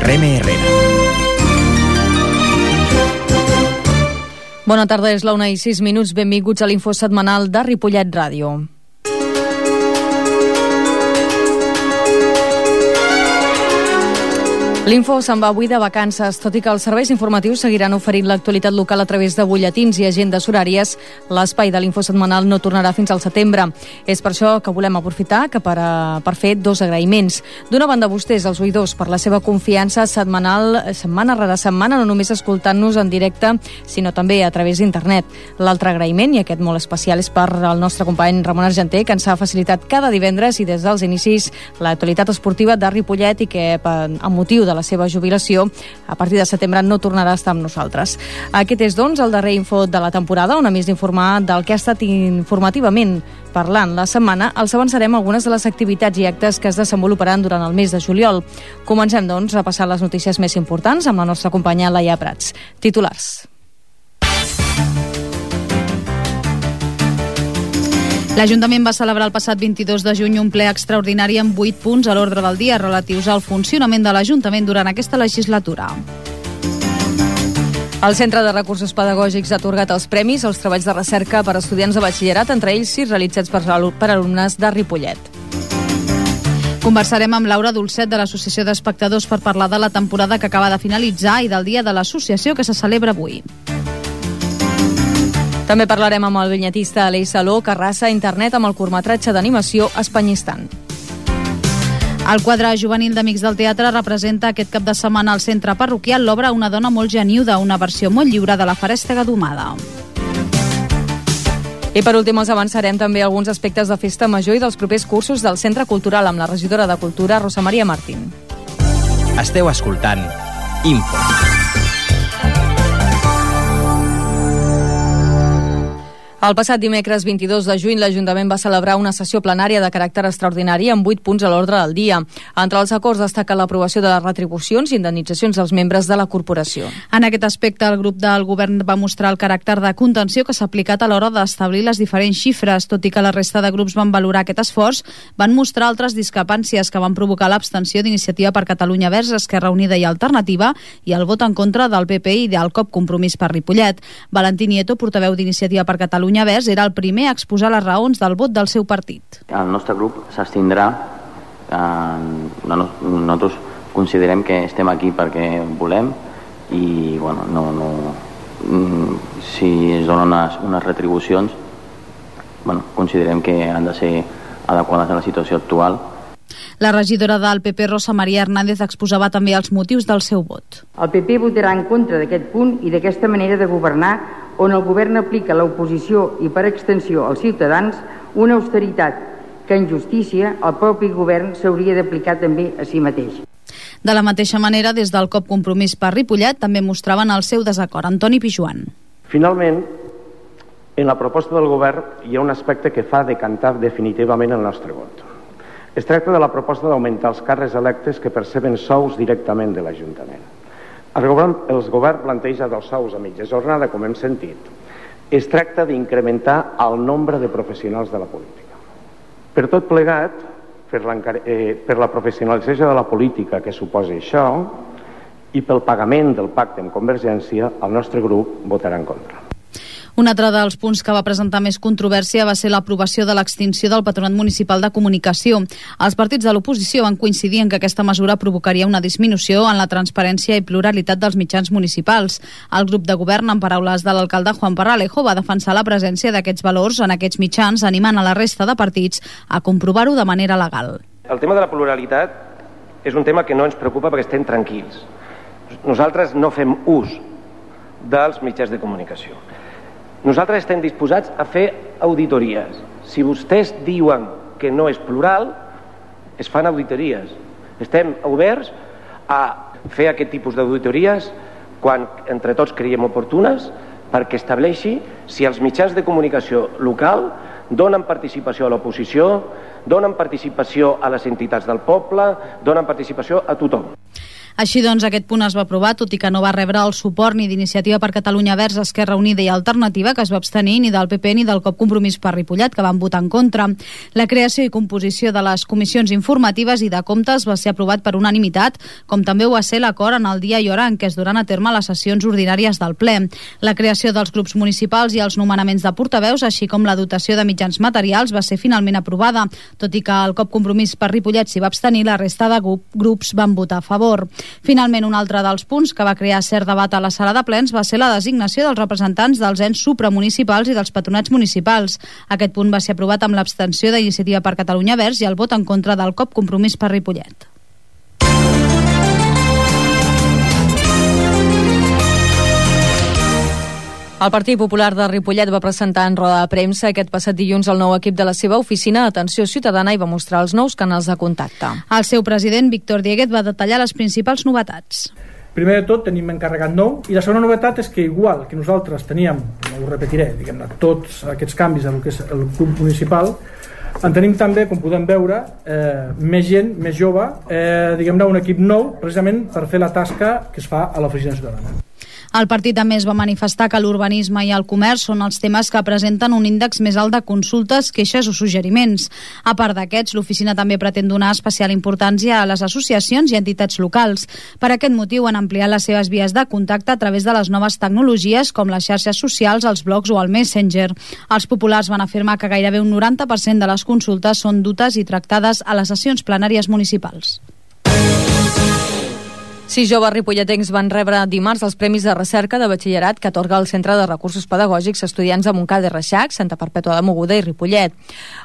Reme Herrera. Bona tarda, és la 1:06. Benvinguts a l'info setmanal de Ripollet Ràdio. L'Info se'n va avui de vacances, tot i que els serveis informatius seguiran oferint l'actualitat local a través de butlletins i agendes horàries. L'espai de l'Info setmanal no tornarà fins al setembre. És per això que volem aprofitar per fer dos agraïments. D'una banda, vostès, els oïdors, per la seva confiança setmanal, setmana rere setmana, no només escoltant-nos en directe, sinó també a través d'internet. L'altre agraïment, i aquest molt especial, és per al nostre company Ramon Argenter, que ens ha facilitat cada divendres i des dels inicis l'actualitat esportiva de Ripollet i que, amb motiu de la seva jubilació, a partir de setembre no tornarà a estar amb nosaltres. Aquest és, doncs, el darrer info de la temporada, on a més d'informar del que ha estat informativament parlant la setmana, els avançarem algunes de les activitats i actes que es desenvoluparan durant el mes de juliol. Comencem, doncs, a passar les notícies més importants amb la nostra companya Laia Prats. Titulars. L'Ajuntament va celebrar el passat 22 de juny un ple extraordinari amb 8 punts a l'ordre del dia relatius al funcionament de l'Ajuntament durant aquesta legislatura. El Centre de Recursos Pedagògics ha atorgat els premis als treballs de recerca per a estudiants de batxillerat, entre ells 6 realitzats per alumnes de Ripollet. Conversarem amb Laura Dolcet de l'Associació d'Espectadors per parlar de la temporada que acaba de finalitzar i del dia de l'associació que se celebra avui. També parlarem amb el vinyetista Aleix Saló, que arrasa a internet amb el curtmetratge d'animació Espanyistan. El quadre juvenil d'Amics del Teatre representa aquest cap de setmana al centre parroquial l'obra Una dona molt geniuda, una versió molt lliure de la Farèstega domada. I per últim els avançarem també alguns aspectes de Festa Major i dels propers cursos del Centre Cultural amb la regidora de Cultura, Rosa Maria Martín. Esteu escoltant Info. El passat dimecres 22 de juny l'Ajuntament va celebrar una sessió plenària de caràcter extraordinari amb 8 punts a l'ordre del dia. Entre els acords destaca l'aprovació de les retribucions i indemnitzacions dels membres de la corporació. En aquest aspecte, el grup del govern va mostrar el caràcter de contenció que s'ha aplicat a l'hora d'establir les diferents xifres, tot i que la resta de grups van valorar aquest esforç, van mostrar altres discrepàncies que van provocar l'abstenció d'Iniciativa per Catalunya Verds, Esquerra Unida i Alternativa i el vot en contra del PP i del COP Compromís per Ripollet. Valentí Nieto, portaveu d'Iniciativa per Catalunya Verds, era el primer a exposar les raons del vot del seu partit. El nostre grup s'abstindrà. Nosaltres considerem que estem aquí perquè volem i si es donen unes retribucions considerem que han de ser adequades a la situació actual. La regidora del PP, Rosa Maria Hernández, exposava també els motius del seu vot. El PP votarà en contra d'aquest punt i d'aquesta manera de governar on el govern aplica a l'oposició i per extensió als ciutadans una austeritat que en justícia el propi govern s'hauria d'aplicar també a si mateix. De la mateixa manera, des del COP Compromís per Ripollet també mostraven el seu desacord. Antoni Pijuan. Finalment, en la proposta del govern hi ha un aspecte que fa decantar definitivament el nostre vot. Es tracta de la proposta d'augmentar els càrrecs electes que perceben sous directament de l'Ajuntament. El govern planteja dels sous a mitja jornada, com hem sentit. Es tracta d'incrementar el nombre de professionals de la política. Per tot plegat, per la professionalització de la política que suposa això i pel pagament del pacte amb Convergència, el nostre grup votarà en contra. Un altre dels punts que va presentar més controvèrsia va ser l'aprovació de l'extinció del Patronat Municipal de Comunicació. Els partits de l'oposició van coincidir en que aquesta mesura provocaria una disminució en la transparència i pluralitat dels mitjans municipals. El grup de govern, en paraules de l'alcalde Juan Parralejo, va defensar la presència d'aquests valors en aquests mitjans, animant a la resta de partits a comprovar-ho de manera legal. El tema de la pluralitat és un tema que no ens preocupa perquè estem tranquils. Nosaltres no fem ús dels mitjans de comunicació. Nosaltres estem disposats a fer auditories. Si vostès diuen que no és plural, es fan auditories. Estem oberts a fer aquest tipus d'auditories quan entre tots creiem oportunes perquè estableixi si els mitjans de comunicació local donen participació a l'oposició, donen participació a les entitats del poble, donen participació a tothom. Així doncs, aquest punt es va aprovar, tot i que no va rebre el suport ni d'Iniciativa per Catalunya Verds, Esquerra Unida i Alternativa, que es va abstenir, ni del PP ni del COP Compromís per Ripollet, que van votar en contra. La creació i composició de les comissions informatives i de comptes va ser aprovat per unanimitat, com també ho va ser l'acord en el dia i hora en què es duran a terme les sessions ordinàries del ple. La creació dels grups municipals i els nomenaments de portaveus, així com la dotació de mitjans materials, va ser finalment aprovada. Tot i que el COP Compromís per Ripollet s'hi va abstenir, la resta de grups van votar a favor. Finalment, un altre dels punts que va crear cert debat a la sala de plens va ser la designació dels representants dels ens supramunicipals i dels patronats municipals. Aquest punt va ser aprovat amb l'abstenció d'Iniciativa per Catalunya Verds i el vot en contra del COP Compromís per Ripollet. El Partit Popular de Ripollet va presentar en roda de premsa aquest passat dilluns el nou equip de la seva oficina d'Atenció Ciutadana i va mostrar els nous canals de contacte. El seu president, Víctor Dieguez, va detallar les principals novetats. Primer de tot tenim encarregat nou i la segona novetat és que igual que nosaltres teníem, no ho repetiré, diguem-ne, tots aquests canvis en el que és el club municipal, en tenim també, com podem veure, més gent, més jove, diguem-ne, un equip nou precisament per fer la tasca que es fa a l'oficina ciutadana. El partit també es va manifestar que l'urbanisme i el comerç són els temes que presenten un índex més alt de consultes, queixes o suggeriments. A part d'aquests, l'oficina també pretén donar especial importància a les associacions i entitats locals. Per aquest motiu han ampliat les seves vies de contacte a través de les noves tecnologies com les xarxes socials, els blogs o el Messenger. Els populars van afirmar que gairebé un 90% de les consultes són dutes i tractades a les sessions plenàries municipals. 6 joves ripolletens van rebre dimarts els Premis de Recerca de Batxillerat que atorga el Centre de Recursos Pedagògics a estudiants de Montcada i Reixac, Santa Perpètua de Mogoda i Ripollet.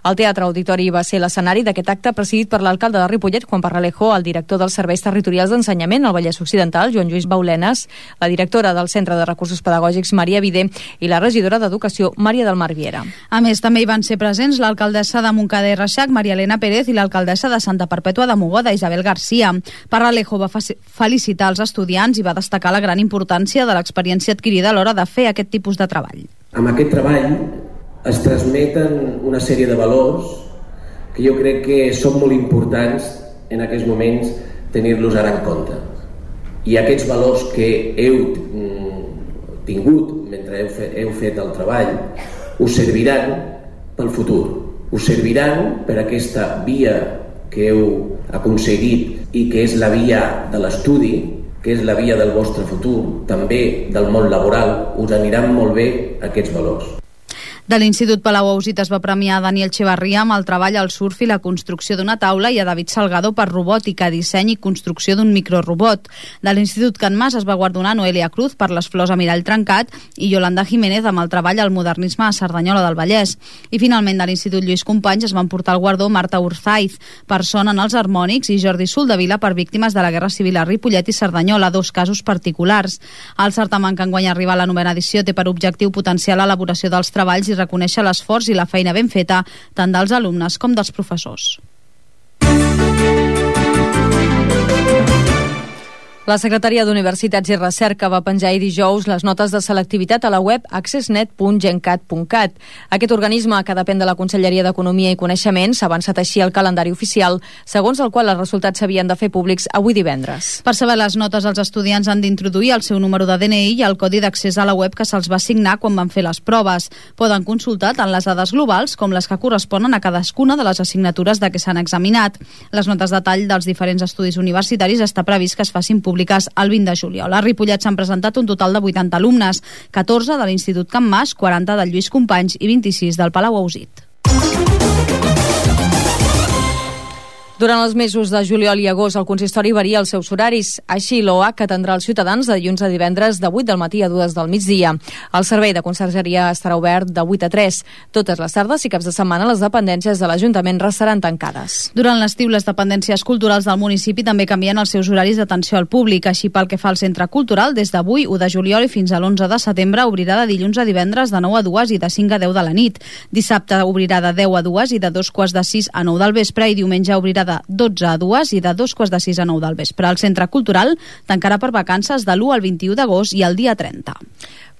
El Teatre Auditori va ser l'escenari d'aquest acte presidit per l'alcalde de Ripollet, Juan Parralejo, el director dels Serveis Territorials d'Ensenyament al Vallès Occidental, Joan Lluís Baulenes, la directora del Centre de Recursos Pedagògics, Maria Vidé, i la regidora d'Educació, Maria del Mar Viera. A més, també hi van ser presents l'alcaldessa de Montcada i Reixac, Maria Elena Pérez, i l'alcaldessa de Santa Perpètua de Mogoda, Isabel Garcia. Parralejo va felicitar els estudiants i va destacar la gran importància de l'experiència adquirida a l'hora de fer aquest tipus de treball. Amb aquest treball es transmeten una sèrie de valors que jo crec que són molt importants en aquests moments tenir-los ara en compte. I aquests valors que heu tingut mentre heu fet el treball us serviran pel futur, us serviran per aquesta via que heu aconseguit i que és la via de l'estudi, que és la via del vostre futur, també del món laboral, us aniran molt bé aquests valors. De l'Institut Palau Ausit es va premiar a Daniel Echevarria amb el treball al surf i la construcció d'una taula i a David Salgado per robòtica, disseny i construcció d'un microrobot. De l'Institut Can Mas es va guardonar Noelia Cruz per les flors a mirall trencat i Yolanda Jiménez amb el treball al modernisme a Cerdanyola del Vallès. I finalment de l'Institut Lluís Companys es van portar el guardó Marta Urzaiz per son en els harmònics i Jordi Soldevila per víctimes de la Guerra Civil a Ripollet i Cerdanyola, 2 casos particulars. El certamen que enguany arriba a la 9ª edició té per objectiu potenciar l'elaboració dels treballs i reconèixer l'esforç i la feina ben feta tant dels alumnes com dels professors. La Secretaria d'Universitats i Recerca va penjar ahir dijous les notes de selectivitat a la web accessnet.gencat.cat. Aquest organisme, que depèn de la Conselleria d'Economia i Coneixement, s'ha avançat així el calendari oficial, segons el qual els resultats s'havien de fer públics avui divendres. Per saber les notes, els estudiants han d'introduir el seu número de DNI i el codi d'accés a la web que se'ls va assignar quan van fer les proves. Poden consultar tant les dades globals com les que corresponen a cadascuna de les assignatures de què s'han examinat. Les notes de tall dels diferents estudis universitaris està previst que es facin públiques el 20 de juliol. A Ripollet s'han presentat un total de 80 alumnes, 14 de l'Institut Can Mas, 40 del Lluís Companys i 26 del Palau Ausit. Durant els mesos de juliol i agost, el consistori varia els seus horaris. Així, l'OH atendrà els ciutadans de dilluns a divendres de 8 del matí a 2 del migdia. El servei de consergeria estarà obert de 8 a 3. Totes les tardes i caps de setmana les dependències de l'Ajuntament restaran tancades. Durant l'estiu, les dependències culturals del municipi també canvien els seus horaris d'atenció al públic. Així, pel que fa al centre cultural, des d'avui, 1 de juliol i fins a l'11 de setembre, obrirà de dilluns a divendres de 9 a 2 i de 5 a 10 de la nit. Dissabte obrirà de 10 a 2 i de 2 quarts de 6 a 9 del vespre i diumenge obrirà de 12 a 2 i de 2:45 a 9 del vespre. El Centre Cultural tancarà per vacances de l'1 al 21 d'agost i el dia 30.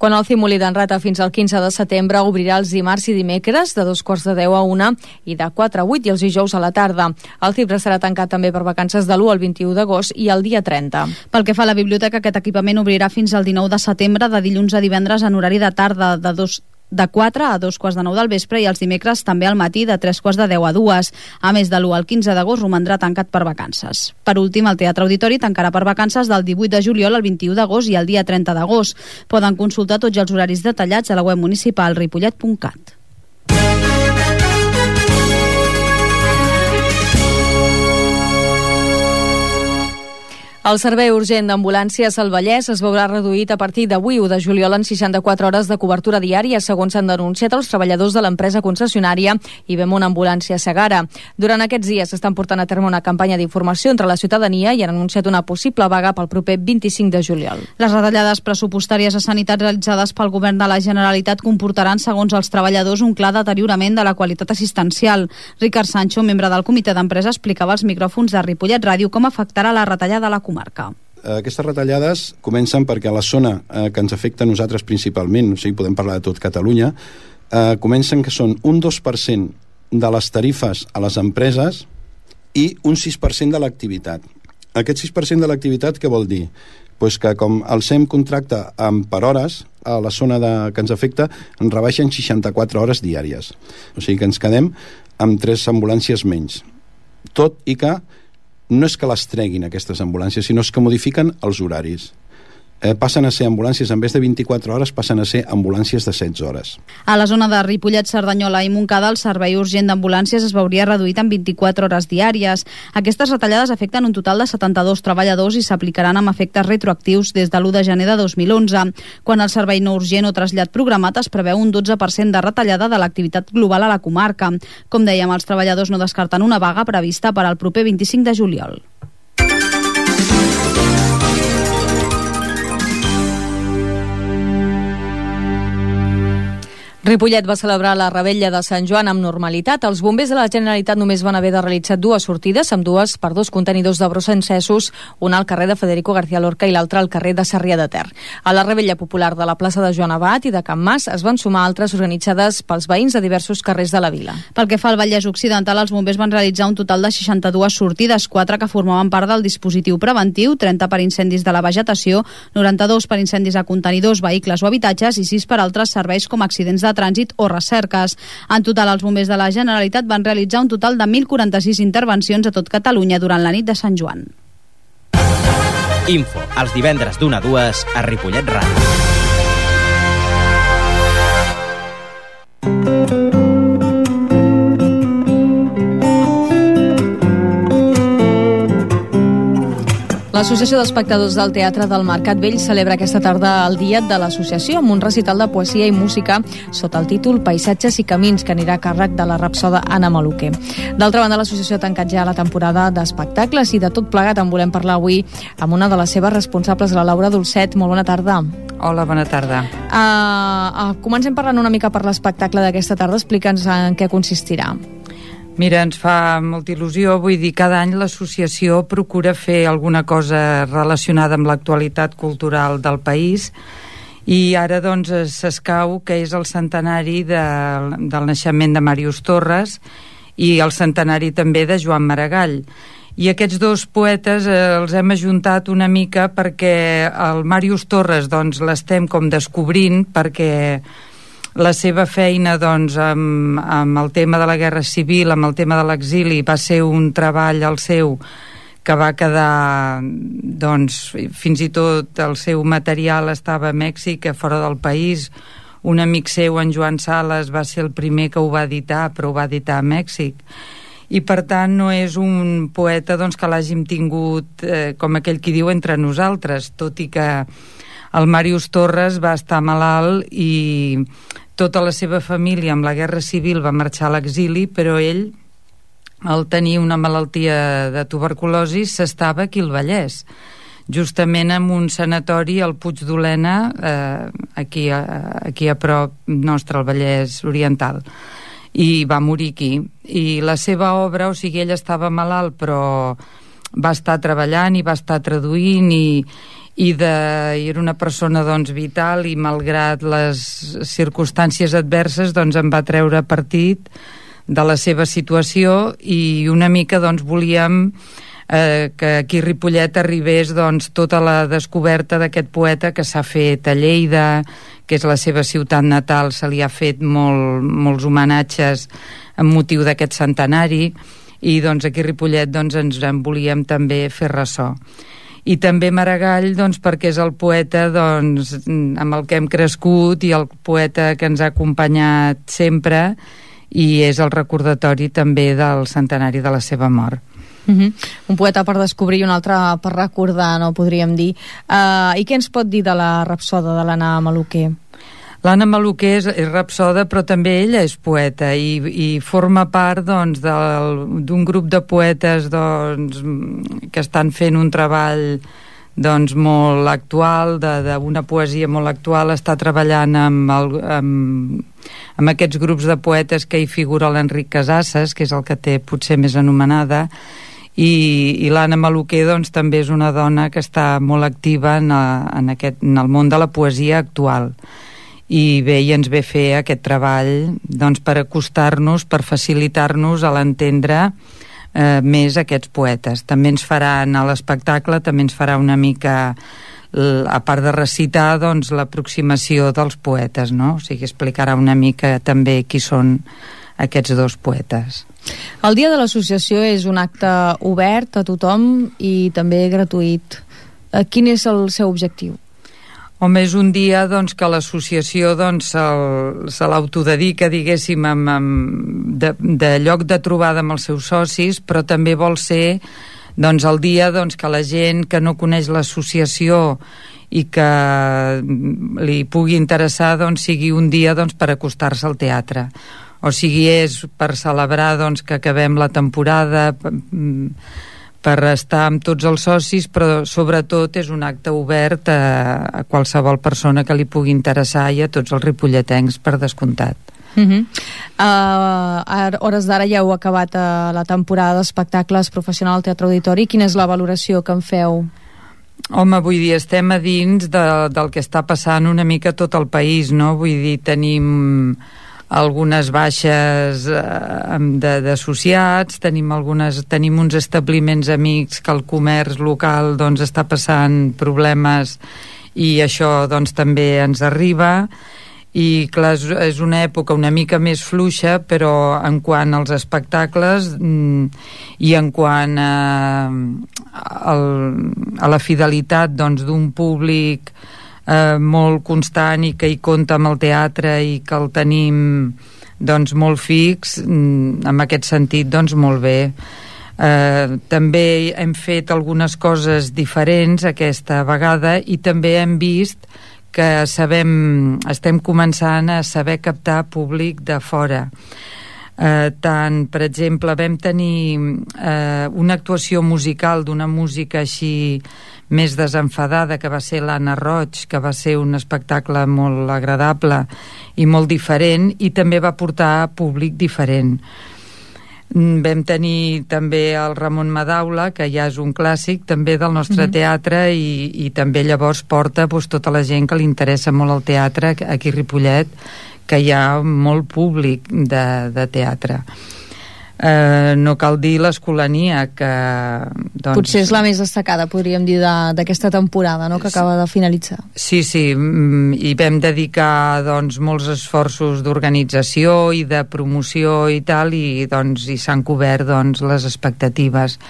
Quan el Cimolí d'en Rata fins al 15 de setembre obrirà els dimarts i dimecres de 2:45 a 1 i de 4 a 8 i els dijous a la tarda. El Cipre serà tancat també per vacances de l'1 al 21 d'agost i el dia 30. Pel que fa a la biblioteca, aquest equipament obrirà fins al 19 de setembre de dilluns a divendres en horari de tarda de 4 a 2:45 del vespre i els dimecres també al matí de 3:45 a 2. A més, de l'1 al 15 d'agost romandrà tancat per vacances. Per últim, el Teatre Auditori tancarà per vacances del 18 de juliol al 21 d'agost i el dia 30 d'agost. Poden consultar tots els horaris detallats a la web municipal ripollet.cat. El servei urgent d'ambulàncies al Vallès es veurà reduït a partir d'avui 1 de juliol en 64 hores de cobertura diària, segons s'han denunciat els treballadors de l'empresa concessionària i Bemont Ambulància Segara. Durant aquests dies s'estan portant a terme una campanya d'informació entre la ciutadania i han anunciat una possible vaga pel proper 25 de juliol. Les retallades pressupostàries a sanitat realitzades pel govern de la Generalitat comportaran, segons els treballadors, un clar deteriorament de la qualitat assistencial. Ricard Sancho, membre del comitè d'empresa, explicava als micròfons de Ripollet Ràdio com afectarà la retallada a la comarca. Aquestes retallades comencen perquè a la zona que ens afecta a nosaltres principalment, o sigui, podem parlar de tot Catalunya, comencen que són un 2% de les tarifes a les empreses i un 6% de l'activitat. Aquest 6% de l'activitat què vol dir? Pues que com el SEM contracta per hores, a la zona que ens afecta ens rebaixen 64 hores diàries. O sigui que ens quedem amb 3 ambulàncies menys. Tot i que no és que les treguin aquestes ambulàncies, sinó que modifiquen els horaris. Passen a ser ambulàncies, en vez de 24 hores, passen a ser ambulàncies de 16 hores. A la zona de Ripollet, Cerdanyola i Montcada, el servei urgent d'ambulàncies es veuria reduït en 24 hores diàries. Aquestes retallades afecten un total de 72 treballadors i s'aplicaran amb efectes retroactius des de l'1 de gener de 2011. Quan el servei no urgent o trasllat programat es preveu un 12% de retallada de l'activitat global a la comarca. Com dèiem, els treballadors no descarten una vaga prevista per al proper 25 de juliol. Ripollet va celebrar la Revetlla de Sant Joan amb normalitat. Els bombers de la Generalitat només van haver de realitzar 2 sortides, amb 2 per 2 contenidors de brossa encesos, una al carrer de Federico García Lorca i l'altra al carrer de Sarrià de Ter. A la Revetlla popular de la plaça de Joan Abat i de Can Mas es van sumar altres organitzades pels veïns de diversos carrers de la vila. Pel que fa al Vallès Occidental, els bombers van realitzar un total de 62 sortides, 4 que formaven part del dispositiu preventiu, 30 per incendis de la vegetació, 92 per incendis a contenidors, vehicles o habitatges i 6 per altres serveis com accidents de trànsit o recerques. En total, els bombers de la Generalitat van realitzar un total de 1.046 intervencions a tot Catalunya durant la nit de Sant Joan. Info, els divendres d'1 a 2 a Ripollet Ràdio. L'Associació d'Espectadors del Teatre del Mercat Vell celebra aquesta tarda el dia de l'associació amb un recital de poesia i música sota el títol Paisatges i Camins, que anirà a càrrec de la rapsoda Anna Maluquer. D'altra banda, l'associació ha tancat ja la temporada d'espectacles i de tot plegat en volem parlar avui amb una de les seves responsables, la Laura Dolcet. Molt bona tarda. Hola, bona tarda. Comencem parlant una mica per l'espectacle d'aquesta tarda. Explica'ns en què consistirà. Mira, ens fa molta il·lusió. Vull dir, cada any l'associació procura fer alguna cosa relacionada amb l'actualitat cultural del país i ara doncs s'escau que és el centenari del naixement de Màrius Torres i el centenari també de Joan Maragall. I aquests 2 poetes els hem ajuntat una mica perquè el Màrius Torres doncs l'estem com descobrint, perquè la seva feina doncs, amb el tema de la guerra civil, amb el tema de l'exili, va ser un treball el seu que va quedar, doncs, fins i tot el seu material estava a Mèxic, a fora del país. Un amic seu, en Joan Sales, va ser el primer que ho va editar, però ho va editar a Mèxic. I per tant no és un poeta doncs, que l'hàgim tingut, com aquell qui diu, entre nosaltres, tot i que el Màrius Torres va estar malalt i tota la seva família amb la guerra civil va marxar a l'exili, però ell, al tenir una malaltia de tuberculosi, s'estava aquí al Vallès, justament en un sanatori al Puig d'Olena, aquí a prop nostre, al Vallès Oriental. i va morir aquí. I la seva obra, o sigui, ell estava malalt però va estar treballant i va estar traduint i era una persona doncs vital, i malgrat les circumstàncies adverses doncs en va treure partit de la seva situació, i una mica doncs volíem que aquí a Ripollet arribés doncs tota la descoberta d'aquest poeta que s'ha fet a Lleida, que és la seva ciutat natal. Se li ha fet molts homenatges amb motiu d'aquest centenari, i doncs aquí a Ripollet doncs ens en volíem també fer ressò. I també Maragall doncs perquè és el poeta doncs amb el que hem crescut i el poeta que ens ha acompanyat sempre, i és el recordatori també del centenari de la seva mort. Un poeta per descobrir i un altre per recordar, no podríem dir. I què ens pot dir de la rapsoda de l'Anna Maluquer? L'Anna Maluquer és rapsoda, però també ella és poeta i forma part doncs, d'un grup de poetes doncs, que estan fent un treball doncs, molt actual, d'una poesia molt actual. Està treballant amb aquests grups de poetes que hi figura l'Enric Casasses, que és el que té potser més anomenada, i l'Anna Maluquer doncs, també és una dona que està molt activa en el món de la poesia actual. I bé, i ens ve fer aquest treball doncs, per acostar-nos, per facilitar-nos a l'entendre més aquests poetes. També ens faran a l'espectacle, també ens farà una mica, a part de recitar, doncs, l'aproximació dels poetes, no? O sigui, explicarà una mica també qui són aquests dos poetes. El dia de l'associació és un acte obert a tothom i també gratuït. Quin és el seu objectiu? Home, és un dia doncs, que l'associació doncs, se l'autodedica, diguéssim, de lloc de trobada amb els seus socis, però també vol ser doncs, el dia doncs, que la gent que no coneix l'associació i que li pugui interessar doncs, sigui un dia doncs, per acostar-se al teatre. O sigui, és per celebrar doncs, que acabem la temporada, per estar amb tots els socis, però sobretot és un acte obert a qualsevol persona que li pugui interessar i a tots els ripolletens, per descomptat. A hores d'ara ja heu acabat la temporada d'espectacles professional al Teatre Auditori. Quina és la valoració que en feu? Home, vull dir, estem a dins del que està passant una mica a tot el país, no? Vull dir, tenim algunes baixes d'associats, tenim uns establiments amics que el comerç local doncs, està passant problemes, i això doncs, també ens arriba, i clar, és una època una mica més fluixa, però en quant als espectacles i en quant a la fidelitat doncs, d'un públic molt constant i que hi compta amb el teatre i que el tenim doncs, molt fix, en aquest sentit doncs, molt bé. També hem fet algunes coses diferents aquesta vegada, i també hem vist que estem començant a saber captar públic de fora. Tant, per exemple, vam tenir una actuació musical d'una música així més desenfadada, que va ser l'Anna Roig, que va ser un espectacle molt agradable i molt diferent, i també va portar públic diferent. Vam tenir també el Ramon Madaula, que ja és un clàssic també del nostre teatre, i també llavors porta tota la gent que li interessa molt el teatre aquí a Ripollet, que hi ha molt públic de teatre. No cal dir l'Escolania, que doncs, potser és la més destacada, podríem dir, d'aquesta temporada, no?, que acaba de finalitzar. Sí, i vam dedicar doncs, molts esforços d'organització i de promoció i tal, i s'han cobert doncs, les expectatives,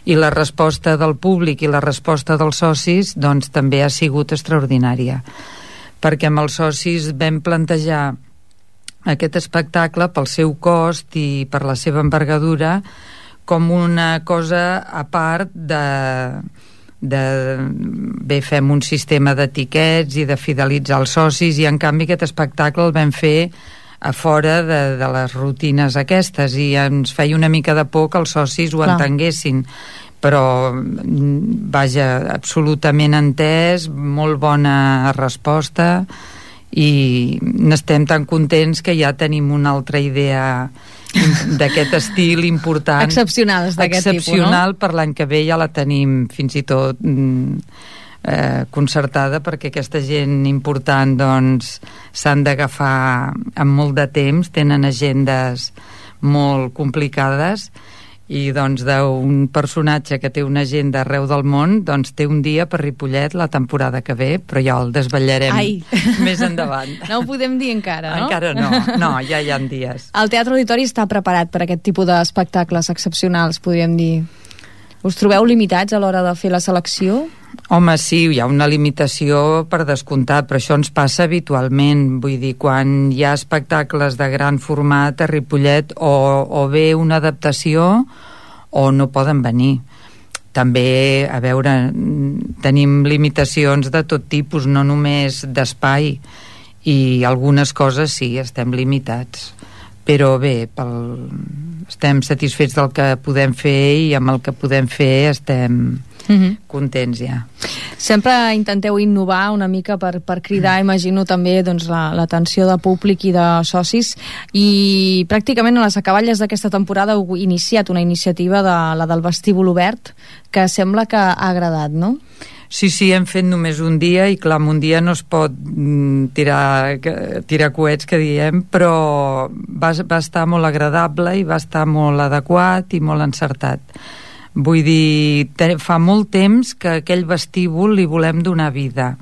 i la resposta del públic i la resposta dels socis doncs, també ha sigut extraordinària, perquè amb els socis vam plantejar aquest espectacle pel seu cost i per la seva envergadura com una cosa a part bé, fem un sistema d'etiquets i de fidelitzar els socis, i en canvi aquest espectacle el vam fer a fora de les rutines aquestes, i ens feia una mica de por que els socis ho entenguessin, però vaja, absolutament entès, molt bona resposta, i n'estem tan contents que ja tenim una altra idea d'aquest estil important, excepcionals d'aquest tipus, no? Excepcional, per l'any que ve ja la tenim fins i tot concertada, perquè aquesta gent important doncs s'han d'agafar amb molt de temps, tenen agendes molt complicades, i doncs d'un personatge que té una agenda arreu del món, doncs té un dia per Ripollet la temporada que ve, però ja el desvetllarem més endavant. No ho podem dir encara, no? Encara no, ja hi ha dies. El Teatre Auditori està preparat per aquest tipus d'espectacles excepcionals, podríem dir. Us trobeu limitats a l'hora de fer la selecció? Home, sí, hi ha una limitació per descomptat, però això ens passa habitualment. Vull dir, quan hi ha espectacles de gran format a Ripollet, o bé una adaptació o no poden venir. També, a veure, tenim limitacions de tot tipus, no només d'espai, i algunes coses sí, estem limitats. Però bé, estem satisfets del que podem fer, i amb el que podem fer estem contents ja. Sempre intenteu innovar una mica per cridar, imagino, també doncs, l'atenció de públic i de socis, i pràcticament a les acaballes d'aquesta temporada heu iniciat una iniciativa la del vestíbul obert, que sembla que ha agradat, no? Sí, hem fet només un dia, i clar, un dia no es pot tirar coets, que diem, però va estar molt agradable i va estar molt adequat i molt encertat. Vull dir, fa molt temps que aquell vestíbul li volem donar vida,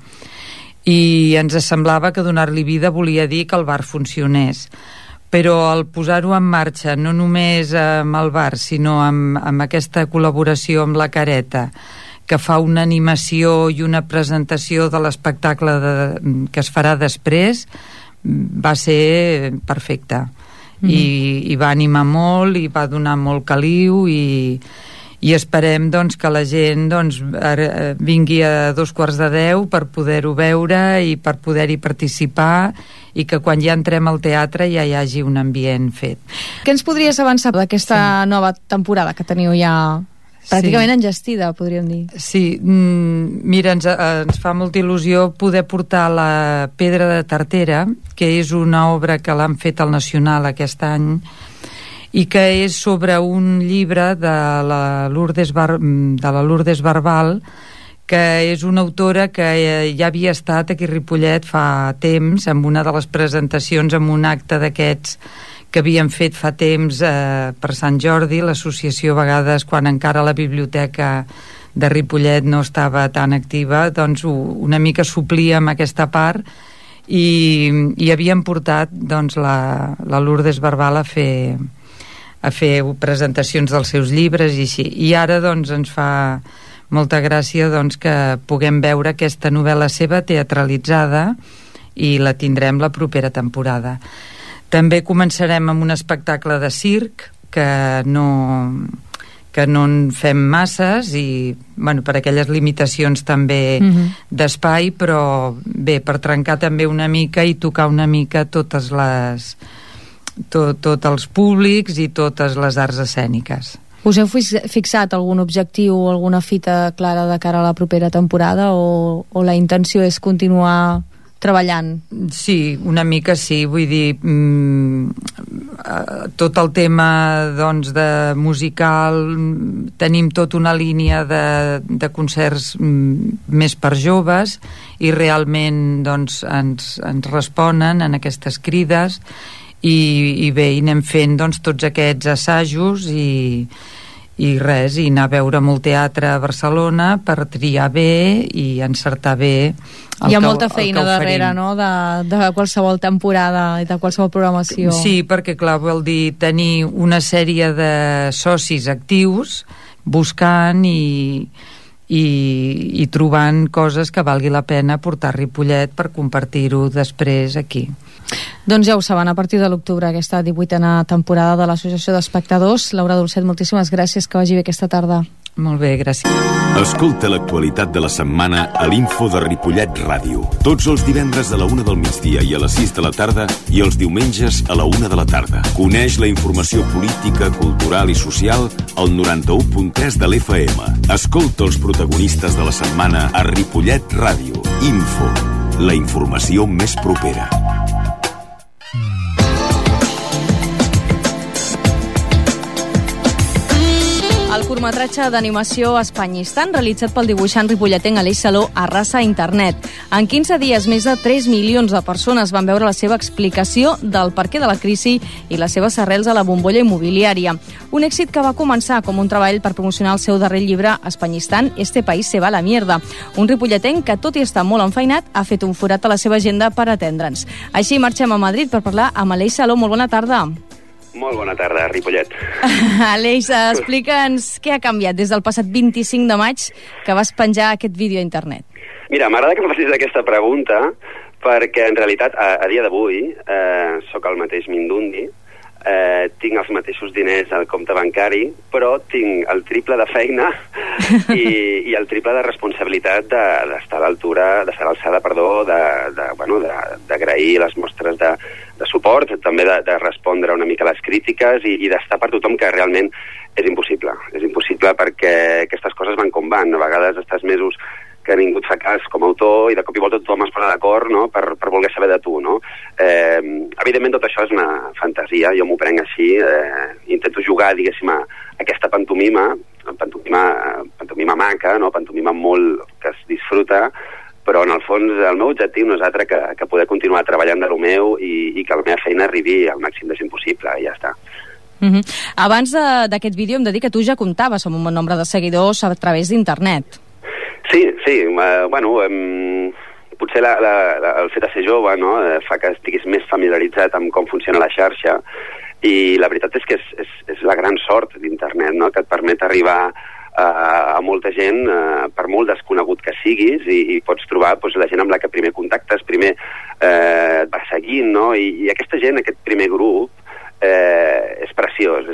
i ens semblava que donar-li vida volia dir que el bar funcionés, però al posar-ho en marxa, no només amb el bar, sinó amb aquesta col·laboració amb la Careta, que fa una animació i una presentació de l'espectacle que es farà després, va ser perfecte. I va animar molt, i va donar molt caliu, i esperem doncs, que la gent vingui a 9:45 per poder-ho veure i per poder-hi participar, i que quan ja entrem al teatre ja hi hagi un ambient fet. Què ens podries avançar d'aquesta nova temporada que teniu ja pràcticament enllestida, podríem dir? Sí, mira, ens fa molta il·lusió poder portar la Pedra de Tartera, que és una obra que l'han fet al Nacional aquest any, i que és sobre un llibre de la Lourdes Barbal, que és una autora que ja havia estat aquí a Ripollet fa temps, amb una de les presentacions, amb un acte d'aquests que havien fet fa temps per Sant Jordi, l'associació, a vegades quan encara la biblioteca de Ripollet no estava tan activa, doncs una mica suplia amb aquesta part, i havien portat doncs, la Lourdes Barbal a fer presentacions dels seus llibres i així. I ara doncs, ens fa molta gràcia doncs, que puguem veure aquesta novel·la seva teatralitzada, i la tindrem la propera temporada. També començarem amb un espectacle de circ que no en fem masses, i per aquelles limitacions també d'espai, però bé, per trencar també una mica i tocar una mica tots els públics i totes les arts escèniques. Us heu fixat algun objectiu o alguna fita clara de cara a la propera temporada, o la intenció és continuar treballant? Sí, una mica sí, vull dir, tot el tema doncs, de musical, tenim tota una línia de concerts més per joves, i realment doncs, ens responen en aquestes crides, i bé, i anem fent doncs, tots aquests assajos, i anar a veure molt teatre a Barcelona per triar bé i encertar bé hi ha molta feina darrere, no?, de qualsevol temporada i de qualsevol programació. Sí, perquè clar, vol dir tenir una sèrie de socis actius buscant i trobant coses que valgui la pena portar a Ripollet per compartir-ho després aquí. Doncs ja ho saben, a partir de l'octubre, aquesta 18a temporada de l'Associació d'Espectadors. Laura Dolcet, moltíssimes gràcies, que vagi bé aquesta tarda. Molt bé, gràcies. Escolta l'actualitat de la setmana a l'Info de Ripollet Ràdio. Tots els divendres a la 1 del migdia i a les 6 de la tarda, i els diumenges a la 1 de la tarda. Coneix la informació política, cultural i social al 91.3 de l'FM. Escolta els protagonistes de la setmana a Ripollet Ràdio. Info. la informació més propera. El curtmetratge d'animació Espanyistan, realitzat pel dibuixant ripolletenc Aleix Saló, arrasa internet. En 15 dies, més de 3 milions de persones van veure la seva explicació del perquè de la crisi i les seves arrels a la bombolla immobiliària. Un èxit que va començar com un treball per promocionar el seu darrer llibre, Espanyistan, Este país se va a la mierda. Un ripolletenc que, tot i estar molt enfeinat, ha fet un forat a la seva agenda per atendre'ns. Així marxem a Madrid per parlar amb Aleix Saló. Molt bona tarda. Molt bona tarda, Ripollet. Aleix, explica'ns què ha canviat des del passat 25 de maig que vas penjar aquest vídeo a internet. Mira, m'agrada que em facis aquesta pregunta perquè en realitat a dia d'avui sóc el mateix Mindundi, tinc els mateixos diners al compte bancari, però tinc el triple de feina i el triple de responsabilitat d'estar a l'altura, d'estar a l'alçada, d'agrair les mostres de suport, també de respondre una mica a les crítiques i d'estar per tothom, que realment és impossible. És impossible perquè aquestes coses van com van. A vegades estàs mesos que ningú et fa cas com a autor i de cop i volta tothom es posa d'acord, no? per voler saber de tu, no? Evidentment tot això és una fantasia, jo m'ho prenc així, intento jugar, diguéssim, a aquesta pantomima maca, no? Pantomima molt que es disfruta, però en el fons el meu objectiu no és altre que poder continuar treballant de lo meu i que la meva feina arribi al màxim de gent possible, i ja està. Abans d'aquest vídeo em de dir que tu ja comptaves amb un bon nombre de seguidors a través d'internet. Sí, potser el fet de ser jove, no, fa que estiguis més familiaritzat amb com funciona la xarxa, i la veritat és que és la gran sort d'internet, no?, que et permet arribar a molta gent, per molt desconegut que siguis, i pots trobar la gent amb la que primer contactes, primer et va seguint, no?, i aquesta gent, aquest primer grup, és preciós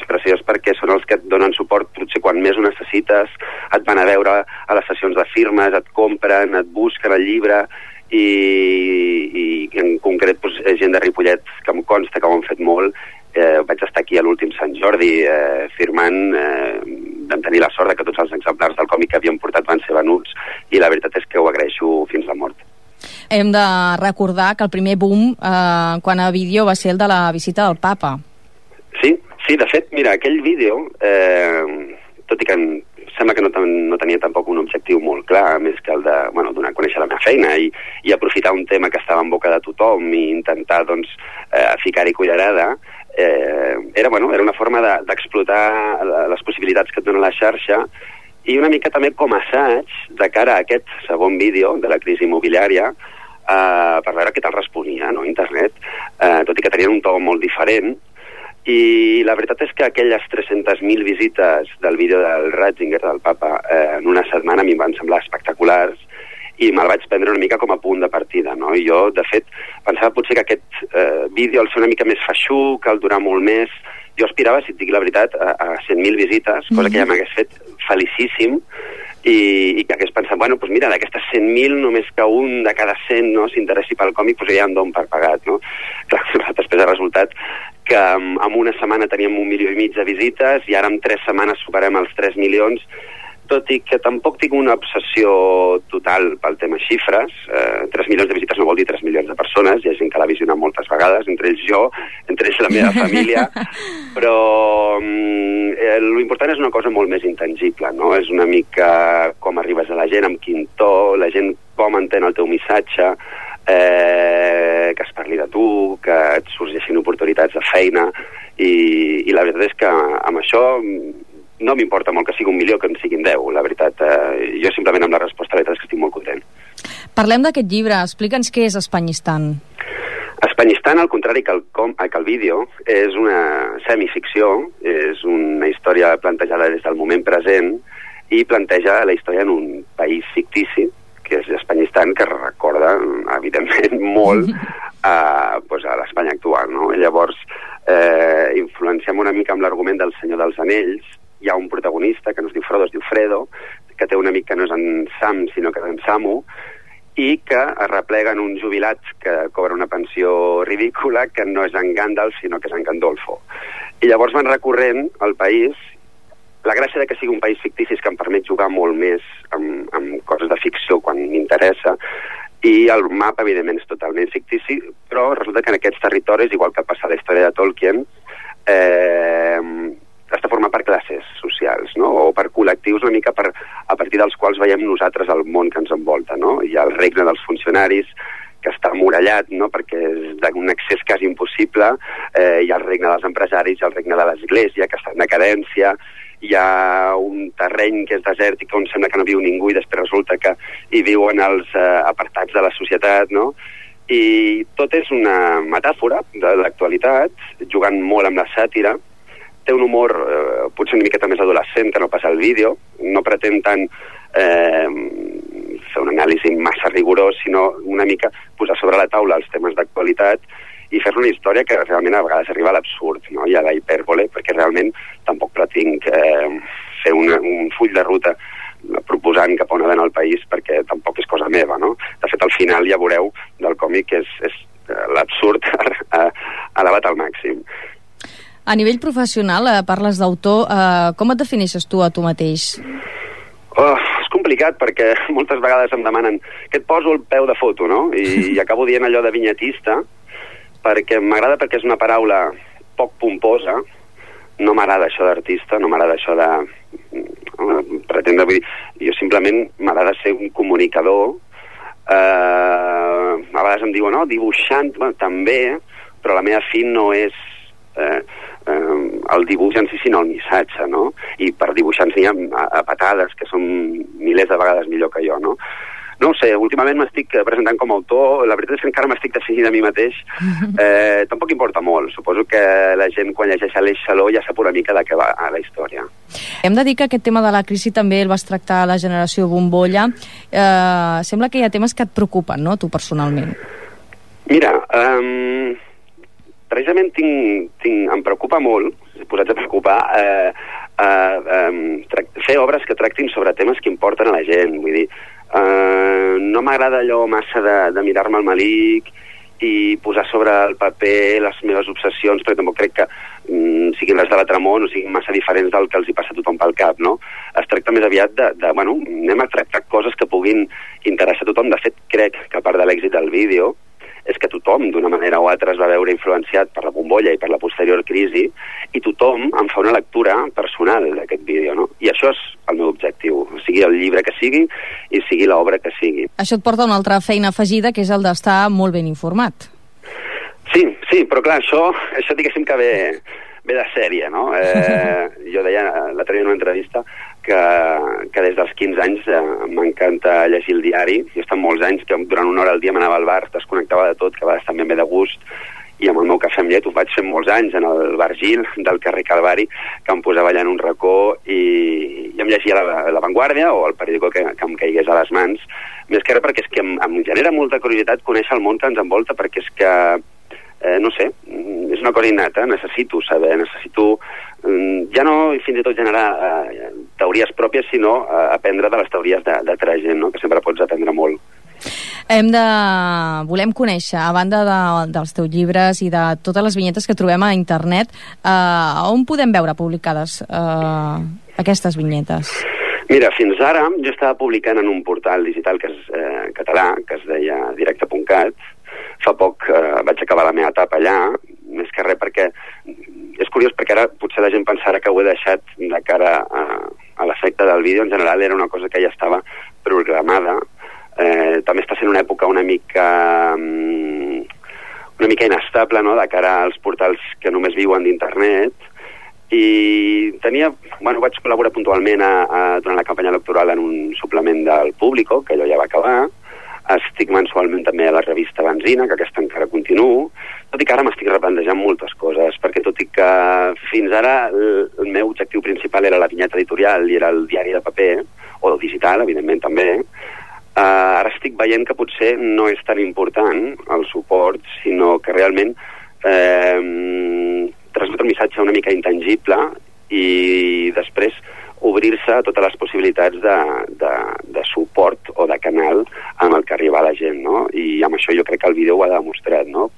perquè són els que et donen suport potser quan més ho necessites, et van a veure a les sessions de firmes, et compren, et busquen el llibre, i en concret gent de Ripollet que em consta que ho han fet molt. Vaig estar aquí a l'últim Sant Jordi firmant, vam tenir la sort que tots els exemplars del còmic que havíem portat van ser venuts, i la veritat és que ho agraeixo fins la mort. Hem de recordar que el primer boom quan a vídeo va ser el de la visita del Papa. Sí, de fet, mira, aquell vídeo, tot i que sembla que no tenia tampoc un objectiu molt clar, més que el de donar a conèixer la meva feina i aprofitar un tema que estava en boca de tothom i intentar, ficar-hi cullerada, era una forma d'explotar les possibilitats que et dona la xarxa, i una mica també com a assaig de cara a aquest segon vídeo de la crisi immobiliària, per veure què tal responia, no?, internet, tot i que tenien un to molt diferent. I la veritat és que aquelles 300.000 visites del vídeo del Ratzinger, del Papa, en una setmana a mi em van semblar espectaculars, i me'l vaig prendre una mica com a punt de partida, no? I jo, de fet, pensava potser que aquest vídeo al ser una mica més feixuc, al durar molt més, jo aspirava, si et dic la veritat, a 100.000 visites, cosa que ja m'hagués fet felicíssim, i que hagués pensat, mira, d'aquestes 100.000 només que un de cada 100 no s'interessi pel còmic, ja em dono per pagat, no? Clar, després ha resultat que en una setmana teníem 1,5 milions de visites i ara en 3 setmanes superem els 3 milions, tot i que tampoc tinc una obsessió total pel tema xifres. 3 milions de visites no vol dir 3 milions de persones, hi ha gent que l'ha visionat moltes vegades, entre ells jo, entre ells la meva família, però l'important és una cosa molt més intangible, no? És una mica com arribes a la gent, amb quin to, la gent com entén el teu missatge, que es parli de tu, que et sorgeixin oportunitats de feina, i la veritat és que amb això no m'importa molt que sigui 1 milió que en siguin 10, la veritat. Jo simplement amb la resposta la veritat és que estic molt content. Parlem d'aquest llibre, explica'ns què és Espanyistan. Espanyistan, al contrari que el vídeo, és una semificció, és una història plantejada des del moment present i planteja la història en un país fictici, que és Espanyistan, que recorda, evidentment, molt a l'Espanya actual, no? Llavors, influenciem una mica amb l'argument del Senyor dels Anells. Hi ha un protagonista que no es diu Frodo, es diu Fredo, que té un amic que no és en Sam, sinó que és en Samu, i que es replega en un jubilat que cobra una pensió ridícula, que no és en Gandalf, sinó que és en Gandolfo. I llavors van recorrent al país. La gràcia de que sigui un país fictici és que em permet jugar molt més amb coses de ficció quan m'interessa, i i el mapa, evidentment, és totalment fictici, però resulta que en aquests territoris, igual que passa a la història de Tolkien, està format per classes socials, no? O per col·lectius una mica a partir dels quals veiem nosaltres el món que ens envolta, no? Hi ha el regne dels funcionaris, que està emmurallat, no? Perquè és d'un accés quasi impossible, hi ha el regne dels empresaris, hi ha el regne de l'església, que està en decadència, hi ha un terreny que és desèrtic on sembla que no viu ningú i després resulta que hi viuen els apartats de la societat, no? I tot és una metàfora de l'actualitat, jugant molt amb la sàtira. Té un humor potser una miqueta més adolescent que no passa al vídeo, no pretén tant fer un anàlisi massa rigorós, sinó una mica posar sobre la taula els temes d'actualitat i fer una història que realment a vegades arriba a l'absurd, no? I a la hipèrbole, perquè realment tampoc pretinc fer un full de ruta proposant cap on ha d'anar el país, perquè tampoc és cosa meva, no? De fet, al final ja veureu del còmic que és l'absurd elevat al màxim. A nivell professional, parles d'autor, com et defineixes tu a tu mateix? És complicat perquè moltes vegades em demanen que et poso el peu de foto, no? I acabo dient allò de vinyetista, perquè m'agrada perquè és una paraula poc pomposa, no m'agrada això d'artista, no m'agrada això de pretendre, vull dir, jo simplement m'agrada ser un comunicador, a vegades em diuen, no, dibuixant, també, però la meva fi no és el dibuix en si, sinó el missatge, no? I per dibuixants n'hi ha a patades, que són milers de vegades millor que jo, no? No ho sé, últimament m'estic presentant com a autor, la veritat és que encara m'estic definint a mi mateix, tampoc importa molt, suposo que la gent quan llegeix Aleix Saló ja sap una mica de què va a la història. Hem de dir que aquest tema de la crisi també el vas tractar a la generació bombolla, sembla que hi ha temes que et preocupen, no?, tu personalment. Mira, precisament em preocupa molt, posats a preocupar, fer obres que tractin sobre temes que importen a la gent, vull dir, no m'agrada allò massa de mirar-me al malic i posar sobre el paper les meves obsessions, perquè tampoc crec que siguin les de l'Atramont o siguin massa diferents del que els hi passa a tothom pel cap, no? Es tracta més aviat bueno, anem a tractar coses que puguin interessar a tothom. De fet, crec que a part de l'èxit del vídeo és que tothom, d'una manera o altra, es va veure influenciat per la bombolla i per la posterior crisi, i tothom en fa una lectura personal d'aquest vídeo, no? I això és el meu objectiu, sigui el llibre que sigui i sigui l'obra que sigui. Això et porta a una altra feina afegida, que és el d'estar molt ben informat. Sí, però clar, això diguéssim que ve de sèrie, no? Jo deia l'altre dia en una entrevista que des dels 15 anys m'encanta llegir el diari. Jo he estat molts anys que durant una hora al dia m'anava al bar, desconnectava de tot, que a vegades també em ve de gust, i amb el meu cafè amb llet ho vaig fer molts anys en el bar Gil del carrer Calvari, que em posava allà en un racó i em llegia la Vanguardia o el periòdico que em caigués a les mans, més que res perquè és que em genera molta curiositat conèixer el món que ens envolta, perquè és que no sé, és una cosa innata, necessito saber, ja no fins i tot generar teories pròpies, sinó aprendre de les teories d'altra gent, no? Que sempre pots aprendre molt. Volem conèixer, a banda dels teus llibres i de totes les vinyetes que trobem a internet, on podem veure publicades aquestes vinyetes? Mira, fins ara jo estava publicant en un portal digital que és català, que es deia directe.cat. Fa poc vaig acabar la meva etapa allà, més que res perquè és curiós, perquè ara potser la gent pensarà que ho he deixat de cara a l'efecte del vídeo. En general era una cosa que ja estava programada. També està sent una època una mica inestable, no?, de cara als portals que només viuen d'internet, i vaig col·laborar puntualment durant la campanya electoral en un suplement del Público, que allò ja va acabar. Estic mensualment també a la revista Benzina, que aquesta encara continuo, tot i que ara m'estic replantejant moltes coses, perquè tot i que fins ara el meu objectiu principal era la vinyeta editorial i era el diari de paper, o el digital, evidentment també, ara estic veient que potser no és tan important el suport, sinó que realment transmet un missatge una mica intangible i després obrir-se a totes les possibilitats de suport o de canal amb el que arriba a la gent, no? I amb això jo crec que el vídeo ho ha demostrat, no?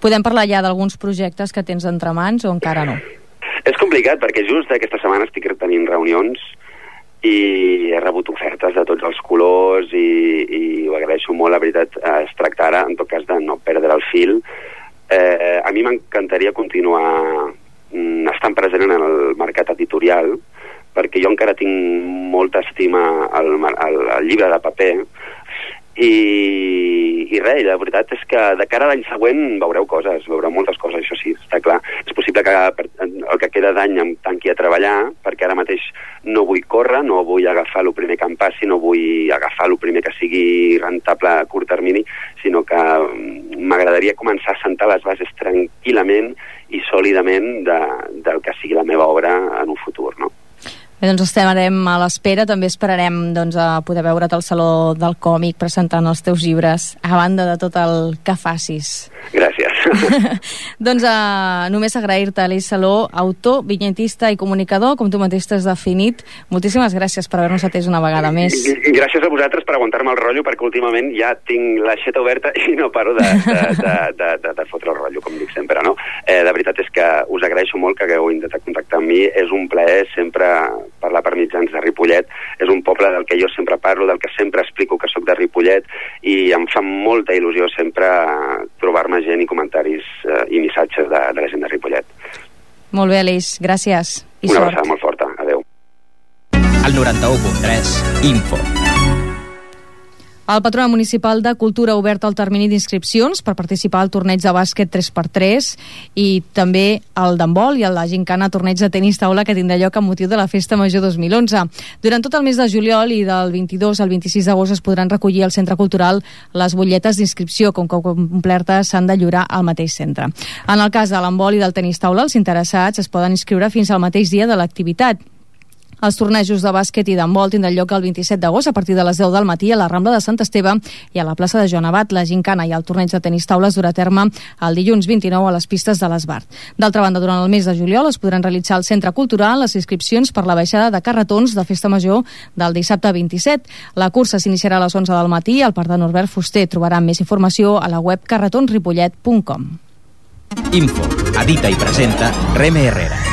Podem parlar ja d'alguns projectes que tens entre mans o encara no? És complicat perquè just aquesta setmana estic tenint reunions i he rebut ofertes de tots els colors i ho agraeixo molt, la veritat. Es tracta ara, en tot cas, de no perdre el fil. A mi m'encantaria continuar estant present en el mercat editorial, perquè jo encara tinc molta estima al llibre de paper, i res, la veritat és que de cara a l'any següent veureu moltes coses, això sí, està clar. És possible que el que queda d'any em tanqui a treballar, perquè ara mateix no vull córrer, no vull agafar el primer que em passi, no vull agafar el primer que sigui rentable a curt termini, sinó que m'agradaria començar a sentar les bases tranquil·lament i sòlidament del que sigui la meva obra en un futur, no? Bé, doncs estarem a l'espera. També esperarem a poder veure't al Saló del Còmic presentant els teus llibres, a banda de tot el que facis. Gràcies. Doncs només agrair-te, Aleix Saló, autor, vinyetista i comunicador, com tu mateix t'has definit. Moltíssimes gràcies per haver-nos atès una vegada més. Gràcies a vosaltres per aguantar-me el rotllo, perquè últimament ja tinc l'aixeta oberta i no paro de fotre el rotllo, com dic sempre, no? La veritat és que us agraeixo molt que hagueu intentat contactar amb mi. És un plaer sempre parlar per mitjans de Ripollet. És un poble del que jo sempre parlo, del que sempre explico que sóc de Ripollet, i em fa molta il·lusió sempre trobar-me gent i comentaris i missatges de la gent de Ripollet. Molt bé, Aleix, gràcies i una sort. abraçada molt forta, adeu. El 91.3 Info. El Patronat Municipal de Cultura ha obert el termini d'inscripcions per participar al torneig de bàsquet 3x3 i també el d'handbol i el de gincana torneig de tenis taula que tindrà lloc amb motiu de la Festa Major 2011. Durant tot el mes de juliol i del 22 al 26 d'agost es podran recollir al Centre Cultural les butlletes d'inscripció, com que complertes s'han de lliurar al mateix centre. En el cas de l'handbol i del tenis taula, els interessats es poden inscriure fins al mateix dia de l'activitat. Els tornejos de bàsquet i d'handbol tindran lloc el 27 d'agost a partir de les 10 del matí a la Rambla de Sant Esteve i a la plaça de Joan Abat. La gincana i el torneig de tenis taula es durà a terme el dilluns 29 a les pistes de l'Esbart. D'altra banda, durant el mes de juliol es podran realitzar al Centre Cultural les inscripcions per la baixada de carretons de Festa Major del dissabte 27. La cursa s'iniciarà a les 11 del matí al Parc de Norbert Fuster. Trobaran més informació a la web carretonsripollet.com. Info, edita i presenta Reme Herrera.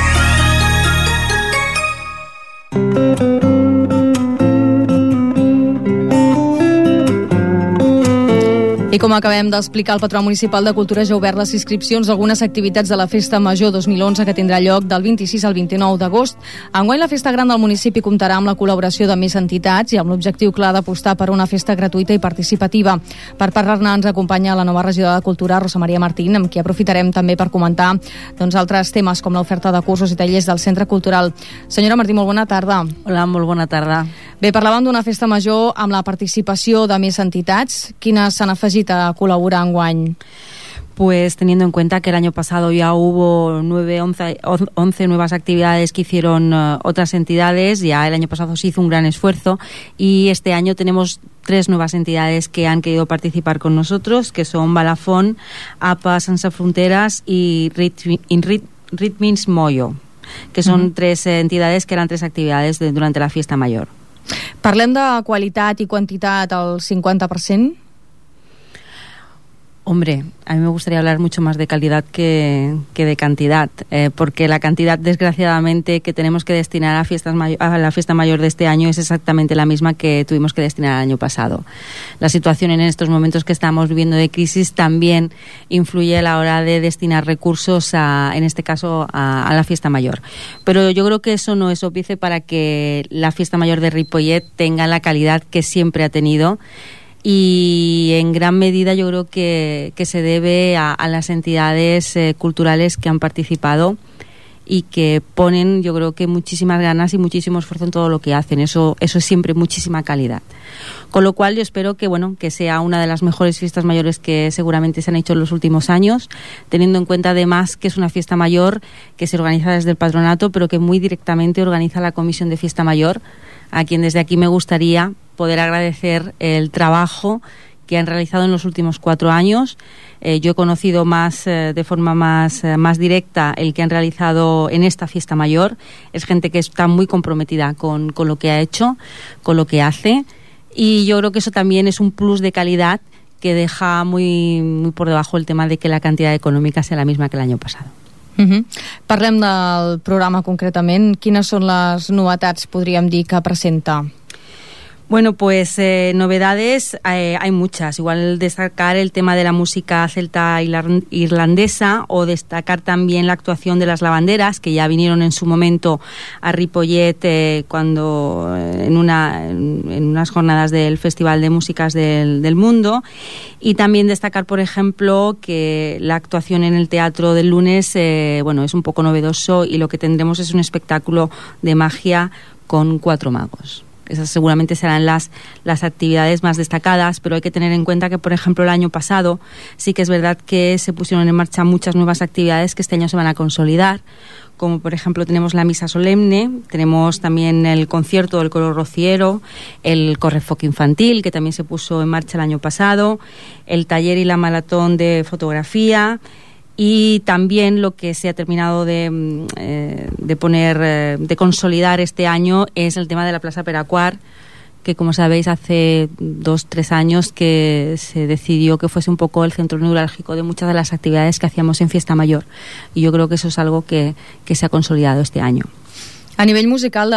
I com acabem d'explicar, el Patronat Municipal de Cultura ja ha obert les inscripcions a algunes activitats de la Festa Major 2011 que tindrà lloc del 26 al 29 d'agost. Enguany la Festa Gran del municipi comptarà amb la col·laboració de més entitats i amb l'objectiu clar d'apostar per una festa gratuïta i participativa. Per parlar-ne ens acompanya la nova regidora de Cultura, Rosa Maria Martín, amb qui aprofitarem també per comentar altres temes com l'oferta de cursos i tallers del Centre Cultural. Senyora Martín, molt bona tarda. Hola, molt bona tarda. Bé, parlàvem d'una festa major amb la participació de més entitats. Quines s'han afegit a colaborar enguany? Pues teniendo en cuenta que el año pasado ya hubo 11 nuevas actividades que hicieron otras entidades, ya el año pasado se hizo un gran esfuerzo y este año tenemos 3 nuevas entidades que han querido participar con nosotros, que son Balafón, APA Sense Fronteras y Ritmins Moyo, que son 3 entidades que eran 3 actividades durante la fiesta mayor. Parlem de qualitat i quantitat al 50%? Hombre, a mí me gustaría hablar mucho más de calidad que de cantidad, porque la cantidad, desgraciadamente, que tenemos que destinar a la fiesta mayor de este año es exactamente la misma que tuvimos que destinar el año pasado. La situación en estos momentos que estamos viviendo de crisis también influye a la hora de destinar recursos, en este caso, a la fiesta mayor. Pero yo creo que eso no es óbice para que la fiesta mayor de Ripollet tenga la calidad que siempre ha tenido. Y en gran medida yo creo que se debe a las entidades culturales que han participado y que ponen, yo creo que muchísimas ganas y muchísimo esfuerzo en todo lo que hacen. Eso es siempre muchísima calidad. Con lo cual yo espero que sea una de las mejores fiestas mayores que seguramente se han hecho en los últimos años, teniendo en cuenta además que es una fiesta mayor que se organiza desde el patronato, pero que muy directamente organiza la Comisión de Fiesta Mayor, a quien desde aquí me gustaría poder agradecer el trabajo que han realizado en los últimos 4 años. Yo he conocido de forma más directa el que han realizado en esta fiesta mayor. Es gente que está muy comprometida con lo que ha hecho, con lo que hace, y yo creo que eso también es un plus de calidad que deja muy, muy por debajo el tema de que la cantidad económica sea la misma que el año pasado. Parlem del programa concretament. Quines són les novetats, podríem dir, que presenta? Bueno, pues novedades hay muchas. Igual destacar el tema de la música celta irlandesa, o destacar también la actuación de las lavanderas, que ya vinieron en su momento a Ripollet cuando en unas jornadas del Festival de Músicas del Mundo. Y también destacar, por ejemplo, que la actuación en el Teatro del Lunes es un poco novedoso, y lo que tendremos es un espectáculo de magia con 4 magos. Esas seguramente serán las actividades más destacadas, pero hay que tener en cuenta que, por ejemplo, el año pasado sí que es verdad que se pusieron en marcha muchas nuevas actividades que este año se van a consolidar, como por ejemplo tenemos la misa solemne, tenemos también el concierto del coro rociero, el correfoc infantil, que también se puso en marcha el año pasado, el taller y la maratón de fotografía. Y también lo que se ha terminado de consolidar este año es el tema de la Plaza Peracuar, que como sabéis hace 2-3 años que se decidió que fuese un poco el centro neurálgico de muchas de las actividades que hacíamos en Fiesta Mayor, y yo creo que eso es algo que se ha consolidado este año. A nivell musical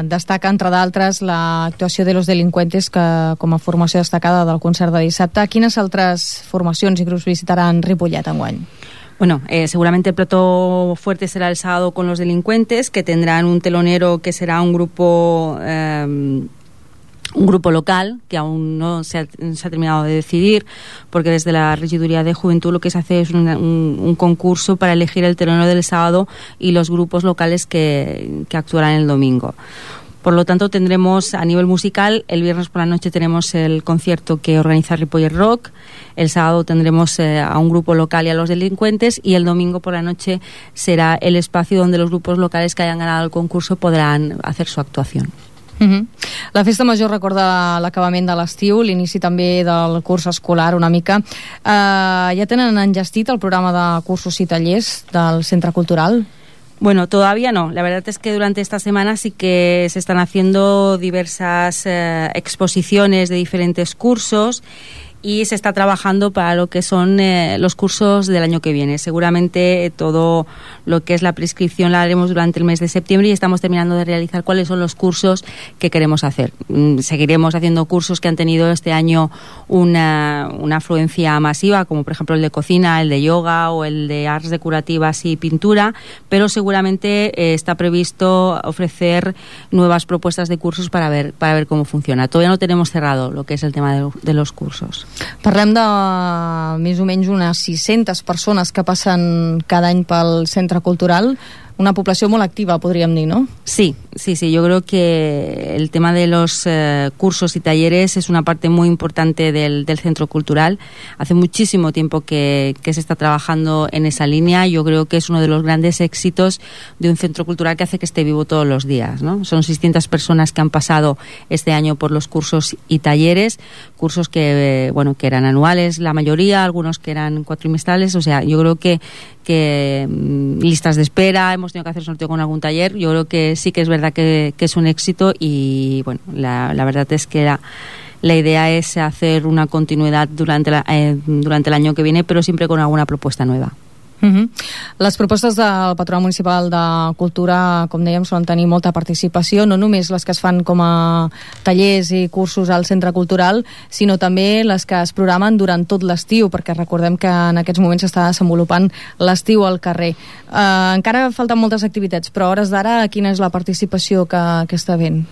destaca, entre d'altres, l'actuació de Los Delincuentes, que com a formació destacada del concert de dissabte. Quines altres formacions i grups visitaran Ripollet enguany? Bueno, seguramente el plato fuerte será el sábado con Los Delincuentes, que tendrán un telonero que será un grupo local, que aún no se ha terminado de decidir, porque desde la Regiduría de Juventud lo que se hace es un concurso para elegir el telonero del sábado y los grupos locales que actuarán el domingo. Por lo tanto, tendremos a nivel musical, el viernes por la noche tenemos el concierto que organiza Ripollet Rock, el sábado tendremos a un grupo local y a Los Delincuentes, y el domingo por la noche será el espacio donde los grupos locales que hayan ganado el concurso podrán hacer su actuación. La Festa Major recorda l'acabament de l'estiu, l'inici també del curs escolar una mica. Ja tenen enllestit el programa de cursos i tallers del Centre Cultural? Bueno, todavía no. La verdad es que durante esta semana sí que se están haciendo diversas exposiciones de diferentes cursos, y se está trabajando para lo que son los cursos del año que viene. Seguramente todo lo que es la prescripción la haremos durante el mes de septiembre, y estamos terminando de realizar cuáles son los cursos que queremos hacer. Seguiremos haciendo cursos que han tenido este año una afluencia masiva, como por ejemplo el de cocina, el de yoga o el de artes decorativas y pintura, pero seguramente está previsto ofrecer nuevas propuestas de cursos para ver cómo funciona. Todavía no tenemos cerrado lo que es el tema de los cursos. Parlem de més o menys unes 600 persones que passen cada any pel Centre Cultural. Una población muy activa, podríamos decir, ¿no? Sí. Yo creo que el tema de los cursos y talleres es una parte muy importante del Centro Cultural. Hace muchísimo tiempo que se está trabajando en esa línea. Yo creo que es uno de los grandes éxitos de un centro cultural que hace que esté vivo todos los días, ¿no? Son 600 personas que han pasado este año por los cursos y talleres, cursos que eran anuales, la mayoría, algunos que eran cuatrimestrales. O sea, yo creo que listas de espera, hemos tenido que hacer sorteo con algún taller. Yo creo que sí que es verdad que es un éxito, y bueno, la verdad es que la idea es hacer una continuidad durante el año que viene, pero siempre con alguna propuesta nueva. Les propostes del Patronat Municipal de Cultura, com dèiem, solen tenir molta participació, no només les que es fan com a tallers i cursos al Centre Cultural, sinó també les que es programen durant tot l'estiu, perquè recordem que en aquests moments s'està desenvolupant l'estiu al carrer. Encara falten moltes activitats, però a hores d'ara quina és la participació que està havent?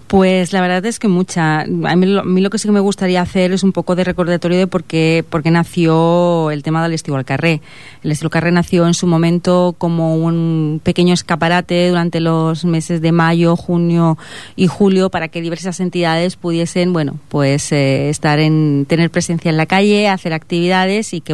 Pues la verdad es que mucha. A mí lo que sí que me gustaría hacer es un poco de recordatorio de por qué nació el tema del Estiu al Carrer. El Estiu al Carrer nació en su momento como un pequeño escaparate durante los meses de mayo, junio y julio, para que diversas entidades pudiesen, tener presencia en la calle, hacer actividades, y que,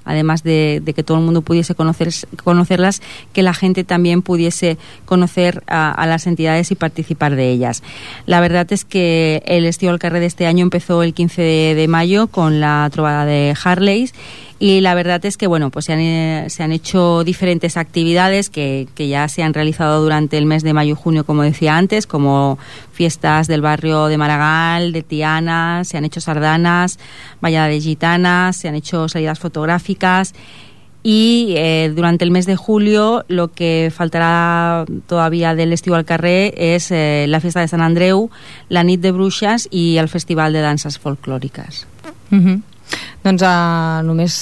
además de que todo el mundo pudiese conocerlas, que la gente también pudiese conocer a las entidades y participar de ellas. La verdad es que el Estiu al Carrer de este año empezó el 15 de mayo con la trobada de Harleys, y la verdad es que se han hecho diferentes actividades que ya se han realizado durante el mes de mayo y junio, como decía antes, como fiestas del barrio de Maragall, de Tiana, se han hecho sardanas, ballada de gitanas, se han hecho salidas fotográficas. y durante el mes de julio lo que faltará todavía del estiu al carrer és la festa de Sant Andreu, la nit de bruixes i el festival de danses folclòriques. Doncs només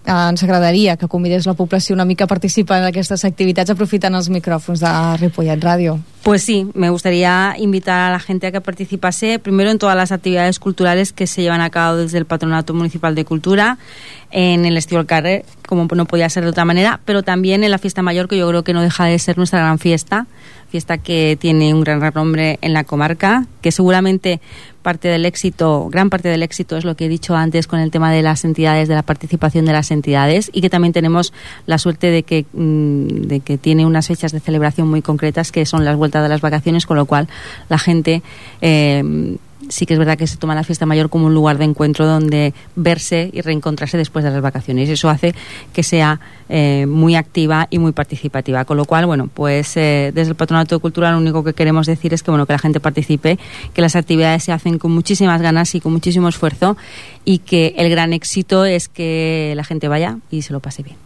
ens agradaria que convidés la població una mica a participar en aquestes activitats aprofitant els micròfons de Ripollet Ràdio. Pues sí, me gustaría invitar a la gente a que participase primero en todas las actividades culturales que se llevan a cabo desde el Patronato Municipal de Cultura, en el Estiu al Carrer, como no podía ser de otra manera, pero también en la Fiesta Mayor, que yo creo que no deja de ser nuestra gran fiesta que tiene un gran renombre en la comarca, que seguramente gran parte del éxito es lo que he dicho antes con el tema de las entidades, de la participación de las entidades, y que también tenemos la suerte de que tiene unas fechas de celebración muy concretas, que son las vueltas de las vacaciones, con lo cual la gente sí que es verdad que se toma la fiesta mayor como un lugar de encuentro donde verse y reencontrarse después de las vacaciones. Eso hace que sea muy activa y muy participativa. Con lo cual, bueno, pues desde el Patronato de Cultura lo único que queremos decir es que, bueno, que la gente participe, que las actividades se hacen con muchísimas ganas y con muchísimo esfuerzo, y que el gran éxito es que la gente vaya y se lo pase bien.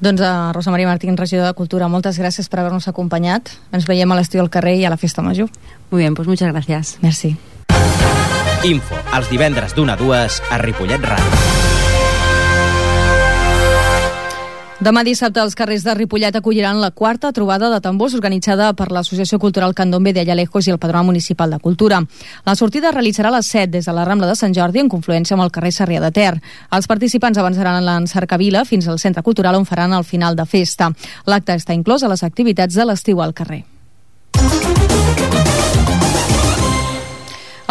Doncs Rosa Maria Martín, regidora de Cultura, moltes gràcies per haver-nos acompanyat. Ens veiem a l'Estiu al Carrer i a la Festa Major. Muy bien, pues muchas gracias. Merci. Info, els divendres d'1 a 2 a Ripollet Ràdio. Demà dissabte els carrers de Ripollet acolliran la 4ª trobada de tambors organitzada per l'Associació Cultural Candombe de Ayalejos i el Patronat Municipal de Cultura. La sortida es realitzarà a les 7 des de la Rambla de Sant Jordi en confluència amb el carrer Sarrià de Ter. Els participants avançaran en Cercavila fins al Centre Cultural, on faran el final de festa. L'acte està inclòs a les activitats de l'estiu al carrer.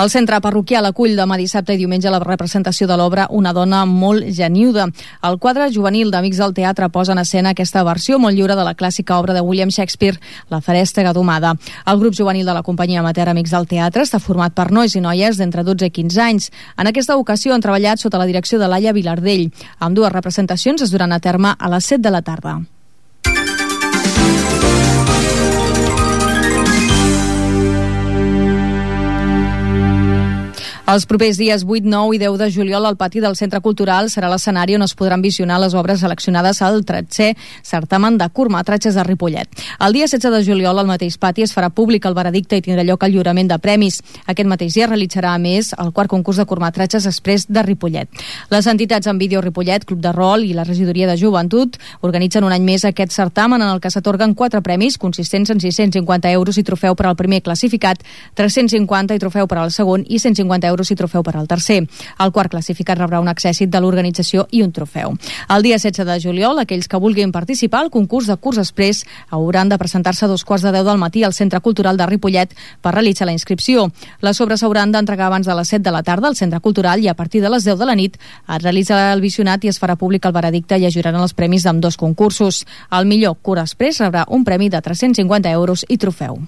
El centre parroquial acull demà dissabte i diumenge la representació de l'obra Una dona molt geniuda. El quadre juvenil d'Amics del Teatre posa en escena aquesta versió molt lliure de la clàssica obra de William Shakespeare, La Ferèstega domada. El grup juvenil de la companyia amateur Amics del Teatre està format per nois i noies d'entre 12 i 15 anys. En aquesta ocasió han treballat sota la direcció de Laia Vilardell. Ambdues representacions es duran a terme a les 7 de la tarda. Els propers dies 8, 9 i 10 de juliol el pati del Centre Cultural serà l'escenari on es podran visionar les obres seleccionades al 13è certamen de curtmetratges de Ripollet. El dia 16 de juliol al mateix pati es farà públic el veredicte i tindrà lloc el lliurament de premis. Aquest mateix dia realitzarà a més el 4è concurs de curtmetratges express de Ripollet. Les entitats en vídeo Ripollet, Club de Rol i la Regidoria de Joventut organitzen un any més aquest certamen en el que s'atorguen 4 premis consistents en 650 euros i trofeu per al primer classificat, 350 i trofeu per al segon i 150 euros i trofeu per al tercer. El quart classificat rebrà un accèssit de l'organització i un trofeu. El dia 16 de juliol, aquells que vulguin participar al concurs de curs express hauran de presentar-se a 2:15 del matí al Centre Cultural de Ripollet per realitzar la inscripció. Les obres s'hauran d'entregar abans de les 7 de la tarda al Centre Cultural i a partir de les 10 de la nit es realitzarà el visionat i es farà públic el veredicte i es lliuraran els premis d'ambdós concursos. El millor curs express rebrà un premi de 350 euros i trofeu.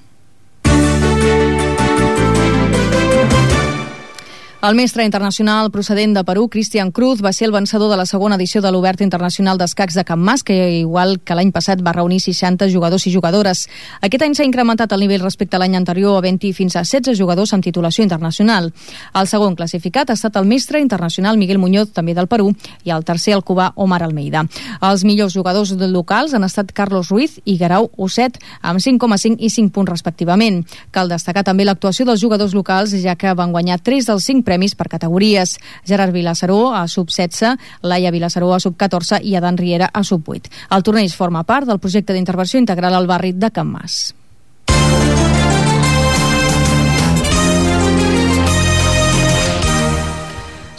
El mestre internacional procedent de Perú, Cristian Cruz, va ser el vencedor de la segona edició de l'Obert Internacional d'Escacs de Can Mas, que igual que l'any passat va reunir 60 jugadors i jugadores. Aquest any s'ha incrementat el nivell respecte a l'any anterior, havent-hi fins a 16 jugadors amb titulació internacional. El segon classificat ha estat el mestre internacional Miguel Muñoz, també del Perú, i el tercer el cubà Omar Almeida. Els millors jugadors locals han estat Carlos Ruiz i Guerau Osset, amb 5,5 i 5 punts respectivament. Cal destacar també l'actuació dels jugadors locals, ja que van guanyar 3 dels 5 premis per categories. Gerard Vilassaró a sub-16, Laia Vilassaró a sub-14 i Adan Riera a sub-8. El torneig forma part del projecte d'intervenció integral al barri de Can Mas.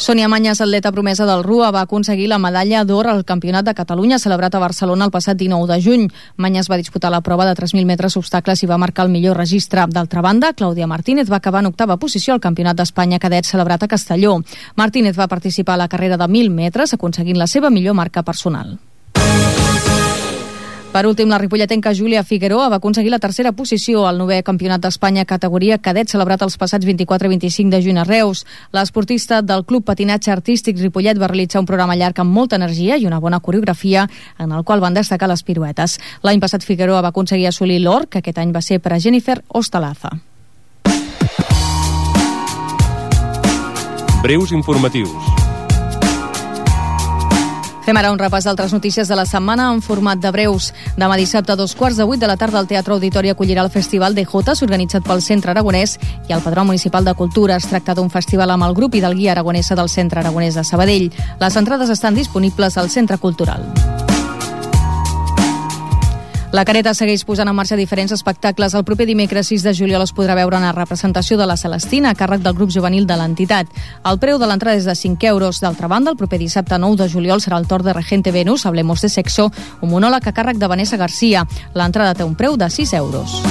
Sònia Mañas, atleta promesa del RUA, va aconseguir la medalla d'or al Campionat de Catalunya celebrat a Barcelona el passat 19 de juny. Mañas va disputar la prova de 3.000 metres obstacles i va marcar el millor registre. D'altra banda, Clàudia Martínez va acabar en 8ª posició al Campionat d'Espanya cadet celebrat a Castelló. Martínez va participar a la carrera de 1.000 metres aconseguint la seva millor marca personal. Per últim, la ripolletenca Júlia Figueroa va aconseguir la 3ª posició al 9è Campionat d'Espanya categoria cadet celebrat els passats 24 i 25 de juny a Reus. L'esportista del Club Patinatge Artístic Ripollet va realitzar un programa llarg amb molta energia i una bona coreografia en el qual van destacar les piruetes. L'any passat Figueroa va aconseguir assolir l'or, que aquest any va ser per a Jennifer Ostalaza. Breus informatius. Fem ara un repàs d'altres notícies de la setmana en format de breus. Demà dissabte a 7:15 de la tarda el Teatre Auditori acollirà el Festival de Jotes organitzat pel Centre Aragonès i el Padró Municipal de Cultura. Es tracta d'un festival amb el grup i del guia aragonesa del Centre Aragonès de Sabadell. Les entrades estan disponibles al Centre Cultural. La Careta segueix posant en marxa diferents espectacles. El proper dimecres 6 de juliol es podrà veure una representació de la Celestina a càrrec del grup juvenil de l'entitat. El preu de l'entrada és de 5 euros. D'altra banda, el proper dissabte 9 de juliol serà el torn de Regente Venus, Hablemos de Sexo, un monòleg a càrrec de Vanessa García. L'entrada té un preu de 6 euros.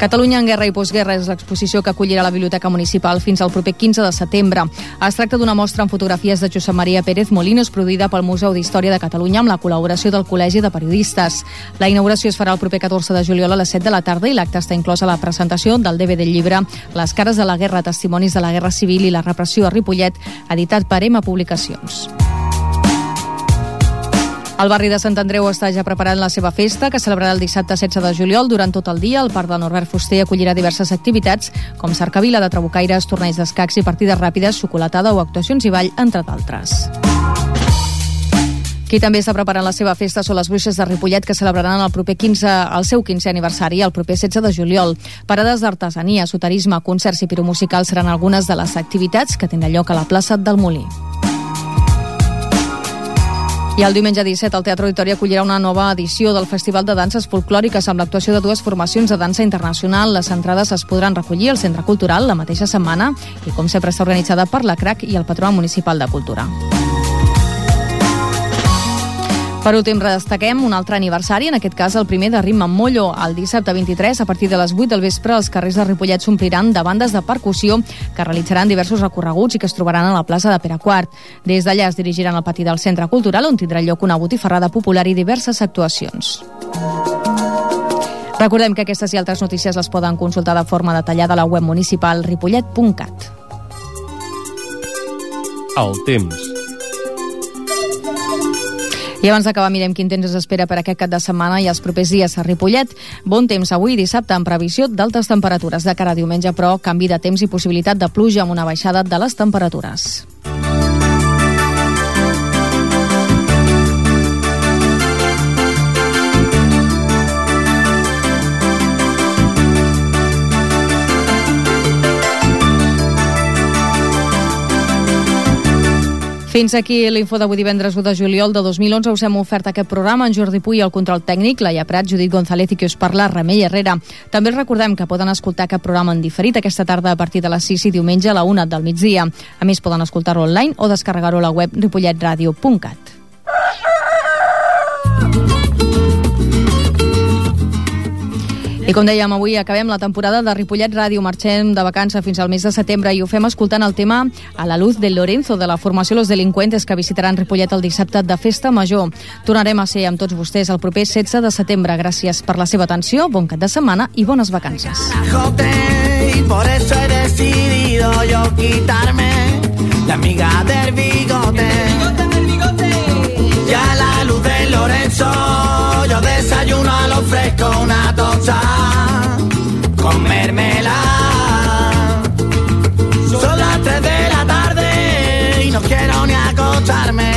Catalunya en guerra i postguerra és l'exposició que acollirà la Biblioteca Municipal fins al proper 15 de setembre. Es tracta d'una mostra amb fotografies de Josep Maria Pérez Molinos produïda pel Museu d'Història de Catalunya amb la col·laboració del Col·legi de Periodistes. La inauguració es farà el proper 14 de juliol a les 7 de la tarda i l'acte està inclòs a la presentació del DVD llibre Les cares de la guerra, testimonis de la guerra civil i la repressió a Ripollet, editat per EMA Publicacions. El barri de Sant Andreu està ja preparant la seva festa, que celebrarà el dissabte 16 de juliol. Durant tot el dia, el Parc de Norbert Fuster acollirà diverses activitats, com cercavila de trabucaires, torneigs d'escacs i partides ràpides, xocolatada o actuacions i ball, entre d'altres. Qui també està preparant la seva festa són les Bruixes de Ripollet, que celebraran el seu 15è aniversari el proper 16 de juliol. Parades d'artesania, soterisme, concerts i piromusicals seran algunes de les activitats que tindran lloc a la plaça del Molí. I el diumenge 17 el Teatre Auditori acollirà una nova edició del Festival de Danses Folclòriques amb l'actuació de dues formacions de dansa internacional. Les entrades es podran recollir al Centre Cultural la mateixa setmana i, com sempre, està organitzada per la CRAC i el Patronat Municipal de Cultura. Per últim, destaquem un altre aniversari, en aquest cas el primer de Ritme amb Mollo. El dissabte 23, a partir de les 8 del vespre, els carrers de Ripollet s'ompliran de bandes de percussió que realitzaran diversos recorreguts i que es trobaran a la plaça de Pere IV. Des d'allà es dirigiran al pati del Centre Cultural, on tindrà lloc una botifarrada popular i diverses actuacions. Recordem que aquestes i altres notícies les poden consultar de forma detallada a la web municipal ripollet.cat. El temps. I abans d'acabar mirem quin temps es espera per aquest cap de setmana i els propers dies a Ripollet. Bon temps avui dissabte amb previsió d'altes temperatures. De cara a diumenge, però, canvi de temps i possibilitat de pluja amb una baixada de les temperatures. Fins aquí l'info d'avui divendres 1 de juliol de 2011. Us hem ofert aquest programa en Jordi Puy, el control tècnic, Laia Prat, Judit González i qui us parla, Remei Herrera. També us recordem que poden escoltar aquest programa en diferit aquesta tarda a partir de les 6 i diumenge a la 1 del migdia. A més, poden escoltar-ho online o descarregar-ho a la web ripolletradio.cat. I com dèiem, avui acabem la temporada de Ripollet Ràdio. Marxem de vacances fins al mes de setembre i ho fem escoltant el tema A la luz del Lorenzo, de la formació Los Delincuentes, que visitaran Ripollet el dissabte de Festa Major. Tornarem a ser amb tots vostès el proper 16 de setembre. Gràcies per la seva atenció, bon cap de setmana i bones vacances. Y por eso he decidido yo quitarme la amiga del bigote. Y a la luz del Lorenzo yo desayuno a lo fresco una tosta con mermelada. Son las 3 de la tarde y no quiero ni acostarme.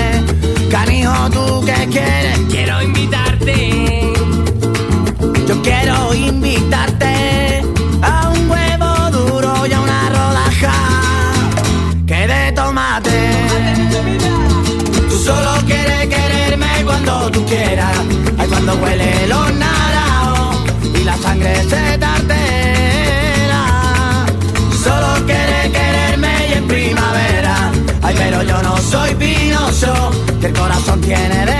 Canijo, ¿tú qué quieres? Quiero invitarte. Yo quiero invitarte a un huevo duro y a una rodaja que de tomate. Tú solo quieres quererme cuando tú quieras. Ay, cuando huele los naranjos y la sangre se tartera. Solo quieres quererme y en primavera. Ay, pero yo no soy Pinocho, que el corazón tiene de